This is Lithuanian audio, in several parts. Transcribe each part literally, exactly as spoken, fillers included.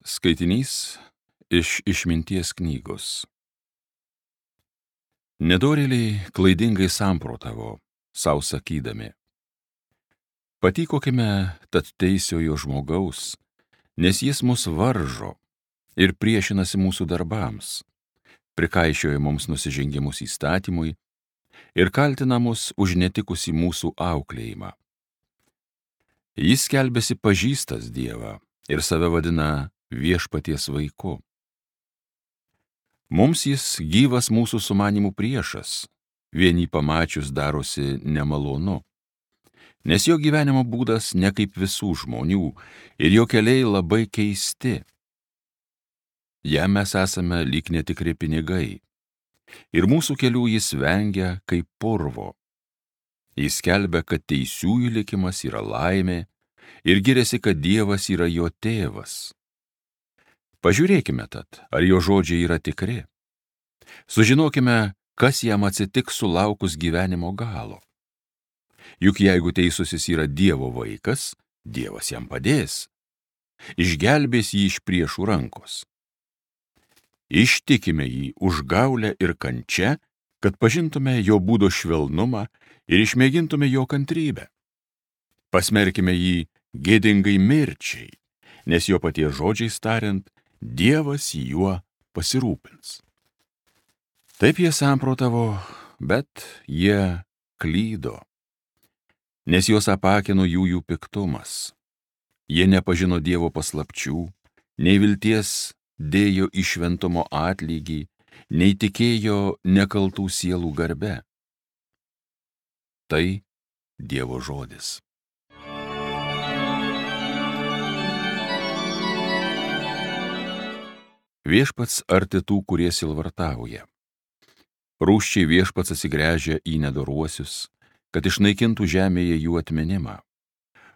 Skaitinys iš išminties knygos. Nedorėliai klaidingai samprotavo, sau sakydami: patykokime tad teisiojo žmogaus, nes jis mus varžo ir priešinasi mūsų darbams, prikaišioja mums nusižengimus įstatymui ir kaltina mus už netikusį mūsų auklėjimą. Jis skelbiasi pažįstas Dievą ir save vadina viešpaties vaiku. Mums jis gyvas mūsų sumanimų priešas, vien jį pamačius darosi nemalonu, nes jo gyvenimo būdas ne kaip visų žmonių ir jo keliai labai keisti. Jam mes esame lyg netikri pinigai ir mūsų kelių jis vengia kaip purvo. Jis skelbia, kad teisiųjų likimas yra laimė ir giriasi, kad Dievas yra jo tėvas. Pažiūrėkime tad, ar jo žodžiai yra tikri. Sužinokime, kas jam atsitiks sulaukus gyvenimo galo. Juk jeigu teisusis yra Dievo vaikas, Dievas jam padės, išgelbės jį iš priešų rankos. Ištikime jį užgaulę ir kančią, kad pažintume jo būdo švelnumą ir išmėgintume jo kantrybę. Pasmerkime jį gėdingai mirčiai, nes jo paties žodžiais tariant, Dievas juo pasirūpins. Taip jie samprotavo, bet jie klydo, nes juos apakino jų jų piktumas. Jie nepažino Dievo paslapčių, nei vilties dėjo į šventumo atlygį, nei tikėjo nekaltų sielų garbe. Tai Dievo žodis. Viešpats arti tų, kurie sielvartauja. Rūsčiai viešpats atsigręžia į nedoruosius, kad išnaikintų žemėje jų atminimą.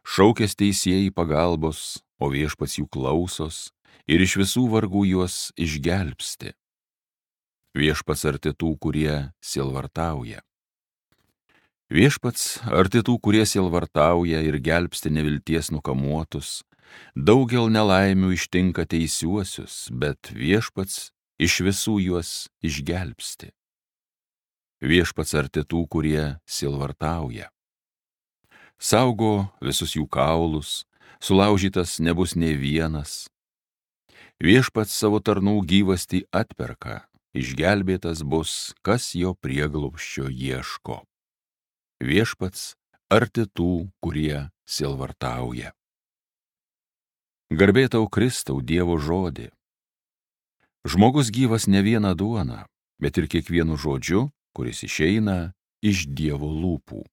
Šaukės teisėjai pagalbos, o viešpats jų klausos ir iš visų vargų juos išgelbsti. Viešpats arti tų, kurie sielvartauja. Viešpats arti tų, kurie sielvartauja ir gelbsti nevilties nukamuotus. Daugel nelaimių ištinka teisiuosius, bet viešpats iš visų juos išgelbsti. Viešpats arti tų, kurie sielvartauja. Saugo visus jų kaulus, sulaužytas nebus nė vienas. Viešpats savo tarnų gyvastį atperka, išgelbėtas bus, kas jo prieglobsčio ieško. Viešpats arti tų, kurie sielvartauja. Garbė tau, Kristau, Dievo žodį. Žmogus gyvas ne vieną duoną, bet ir kiekvienu žodžiu, kuris išeina iš Dievo lūpų.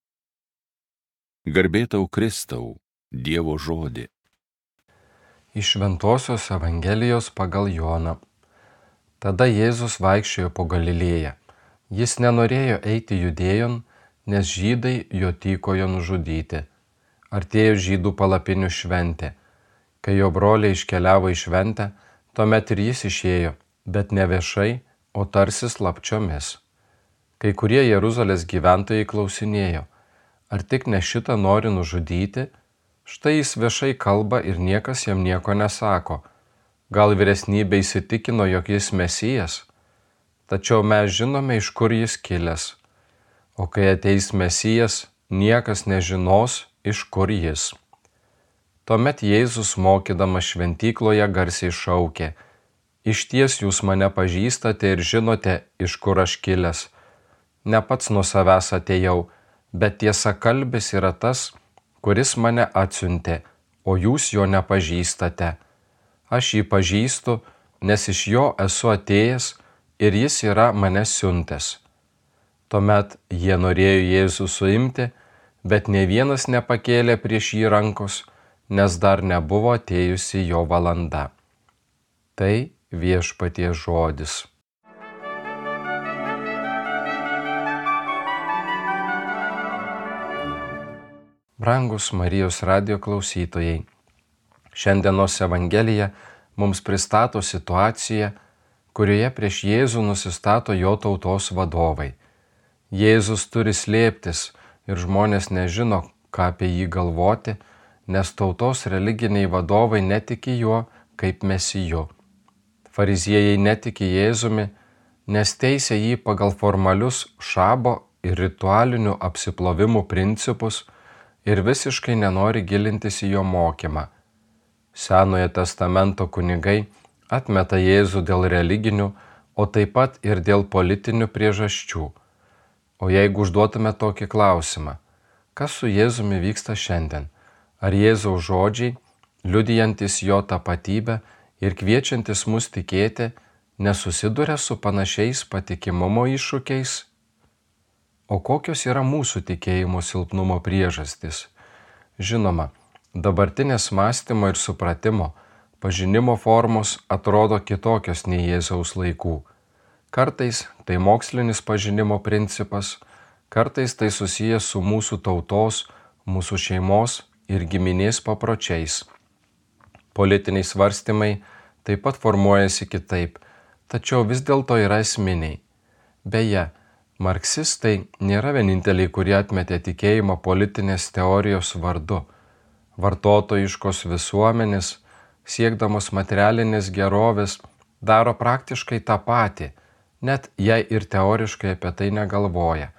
Garbė tau, Kristau, Dievo žodį. Iš Šventosios Evangelijos pagal Joną. Tada Jėzus vaikščiojo po Galilėją. Jis nenorėjo eiti Judėjon, nes žydai jo tykojo nužudyti. Artėjo žydų palapinių šventė. Kai jo broliai iškeliavo į šventę, tuomet ir jis išėjo, bet ne viešai, o tarsi slapčiomis. Kai kurie Jeruzalės gyventojai klausinėjo, ar tik ne šitą nori nužudyti? Štai jis viešai kalba ir niekas jam nieko nesako. Gal vyresnybė įsitikino, jog jis Mesijas? Tačiau mes žinome, iš kur jis kilęs. O kai ateis Mesijas, niekas nežinos, iš kur jis. Tuomet Jėzus mokydamas šventykloje garsiai šaukė: išties jūs mane pažįstate ir žinote, iš kur aš kilęs. Ne pats nuo savęs atėjau, bet tiesakalbis yra tas, kuris mane atsiuntė, o jūs jo nepažįstate. Aš jį pažįstu, nes iš jo esu atėjęs ir jis yra mane siuntęs. Tuomet jie norėjo Jėzų suimti, bet nė vienas nepakėlė prieš jį rankos, nes dar nebuvo atėjusi jo valanda. Tai viešpaties žodis. Brangus Marijos radijo klausytojai, šiandienos Evangelija mums pristato situaciją, kurioje prieš Jėzų nusistato jo tautos vadovai. Jėzus turi slėptis ir žmonės nežino, ką apie jį galvoti, nes tautos religiniai vadovai netiki juo kaip mesiju. Fariziejai netiki Jėzumi, nes teisia jį pagal formalius šabo ir ritualinių apsiplovimų principus ir visiškai nenori gilintis į jo mokymą. Senojo testamento kunigai atmeta Jėzų dėl religinių, o taip pat ir dėl politinių priežasčių. O jeigu užduotume tokį klausimą, kas su Jėzumi vyksta šiandien? Ar Jėzaus žodžiai, liudijantis jo tapatybę ir kviečiantis mus tikėti, nesusiduria su panašiais patikimumo iššūkiais? O kokios yra mūsų tikėjimo silpnumo priežastys? Žinoma, dabartinės mąstymo ir supratimo, pažinimo formos atrodo kitokios nei Jėzaus laikų. Kartais tai mokslinis pažinimo principas, kartais tai susijęs su mūsų tautos, mūsų šeimos ir giminės papročiais. Politiniai svarstymai taip pat formuojasi kitaip, tačiau vis dėlto yra esminiai. Beje, marksistai nėra vieninteliai, kurie atmetė tikėjimą politinės teorijos vardu. Vartotojiškos visuomenės, siekdamos materialinės gerovės, daro praktiškai tą patį, net jei ir teoriškai apie tai negalvoja.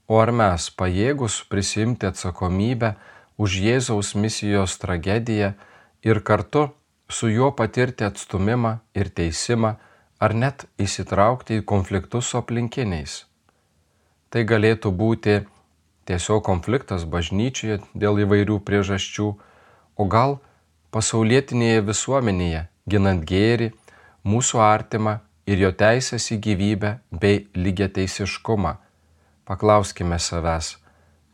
O ar mes pajėgus prisimti atsakomybę už Jėzaus misijos tragediją ir kartu su juo patirti atstumimą ir teisimą, ar net įsitraukti į konfliktus su aplinkiniais? Tai galėtų būti tiesiog konfliktas bažnyčioje dėl įvairių priežasčių, o gal pasaulietinėje visuomenėje, ginant gėrį, mūsų artimą ir jo teisės į gyvybę bei lygiateisiškumą. Paklauskime savęs,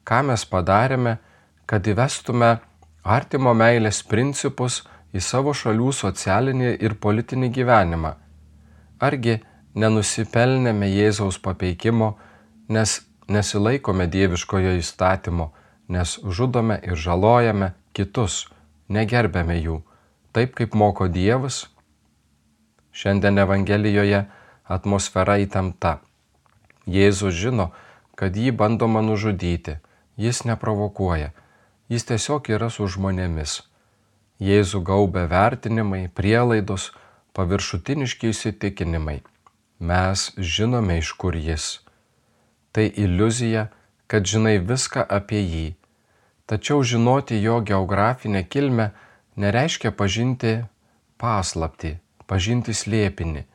ką mes padarėme, kad įvestume artimo meilės principus į savo šalių socialinį ir politinį gyvenimą. Argi nenusipelnėme Jėzaus papeikimo, nes nesilaikome dieviškojo įstatymo, nes žudome ir žalojame kitus, negerbėme jų, taip kaip moko Dievas? Šiandien Evangelijoje atmosfera įtempta. Jėzus žino, kad jį bandoma nužudyti, jis neprovokuoja, jis tiesiog yra su žmonėmis. Jėzų gaubia vertinimai, prielaidos, paviršutiniški įsitikinimai. Mes žinome, iš kur jis. Tai iliuzija, kad žinai viską apie jį. Tačiau žinoti jo geografinę kilmę nereiškia pažinti paslaptį, pažinti slėpinį.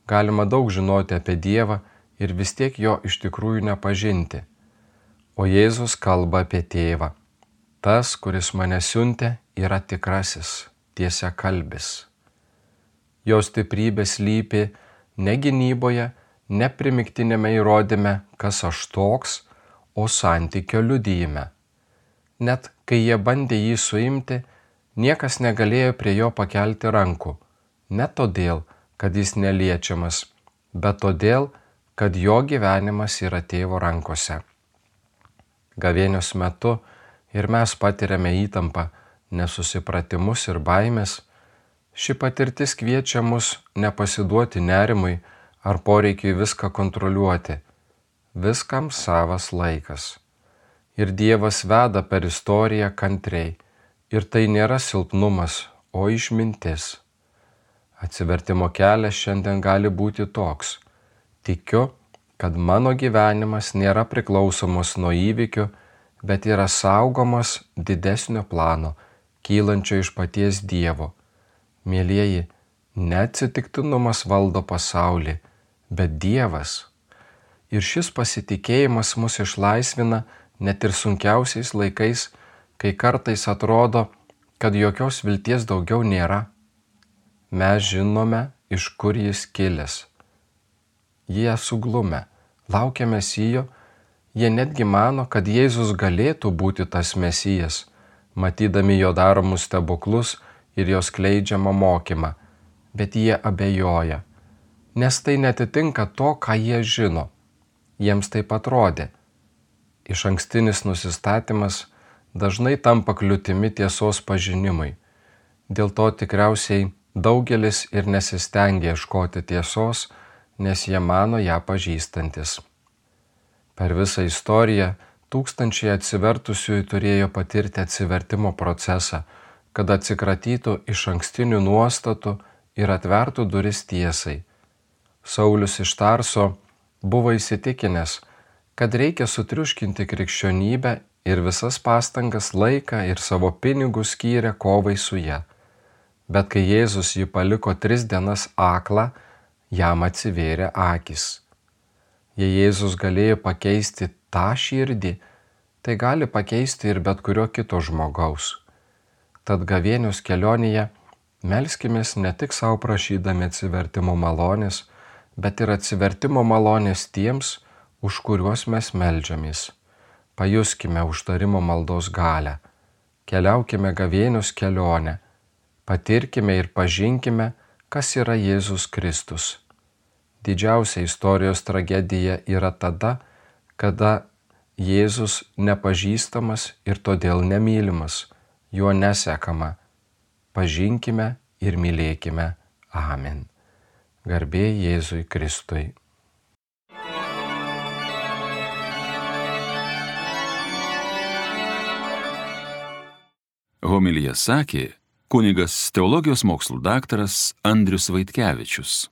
Galima daug žinoti apie Dievą ir vis tiek jo iš tikrųjų nepažinti. O Jėzus kalba apie Tėvą. Tas, kuris mane siuntė, yra tikrasis, tiesiakalbis. Jo stiprybė slypi ne gynyboje, ne primiktinėme įrodyme, kas aš toks, o santykio liudijime. Net kai jie bandė jį suimti, niekas negalėjo prie jo pakelti rankų. Ne todėl, kad jis neliečiamas, bet todėl, kad jo gyvenimas yra Tėvo rankose. Gavėnios metu ir mes patiriame įtampą, nesusipratimus ir baimės. Ši patirtis kviečia mus nepasiduoti nerimui ar poreikiui viską kontroliuoti. Viskam savas laikas. Ir Dievas veda per istoriją kantriai. Ir tai nėra silpnumas, o išmintis. Atsivertimo kelias šiandien gali būti toks. Tikiu, kad mano gyvenimas nėra priklausomas nuo įvykių, bet yra saugomas didesnio plano, kylančio iš paties Dievo. Mielieji, neatsitiktinumas valdo pasaulį, bet Dievas. Ir šis pasitikėjimas mus išlaisvina net ir sunkiausiais laikais, kai kartais atrodo, kad jokios vilties daugiau nėra. Mes žinome, iš kur jis kilęs. Jie suglumę, laukia Mesijo, jie netgi mano, kad Jėzus galėtų būti tas Mesijas, matydami jo daromus stebuklus ir jo skleidžiamą mokymą, bet jie abejoja, nes tai netitinka to, ką jie žino. Jiems taip atrodė. Išankstinis nusistatymas dažnai tampa kliūtimi tiesos pažinimui. Dėl to tikriausiai daugelis ir nesistengia ieškoti tiesos, nes jie mano ją pažįstantis. Per visą istoriją tūkstančiai atsivertusiųjų turėjo patirti atsivertimo procesą, kad atsikratytų iš ankstinių nuostatų ir atvertų duris tiesai. Saulius iš Tarso buvo įsitikinęs, kad reikia sutriuškinti krikščionybę ir visas pastangas, laiką ir savo pinigus skyrė kovai su ja. Bet kai Jėzus jį paliko tris dienas aklą, jam atsivėrė akys. Jei Jėzus galėjo pakeisti tą širdį, tai gali pakeisti ir bet kurio kito žmogaus. Tad gavėnios kelionėje melskimės ne tik savo prašydami atsivertimo malonės, bet ir atsivertimo malonės tiems, už kuriuos mes meldžiamės. Pajuskime užtarimo maldos galią. Keliaukime gavėnios kelionę. Patirkime ir pažinkime, kas yra Jėzus Kristus. Didžiausia istorijos tragedija yra tada, kada Jėzus nepažįstamas ir todėl nemylimas, juo nesekama. Pažinkime ir mylėkime. Amen. Garbė Jėzui Kristui. Homiliją sakė kunigas teologijos mokslų daktaras Andrius Vaitkevičius.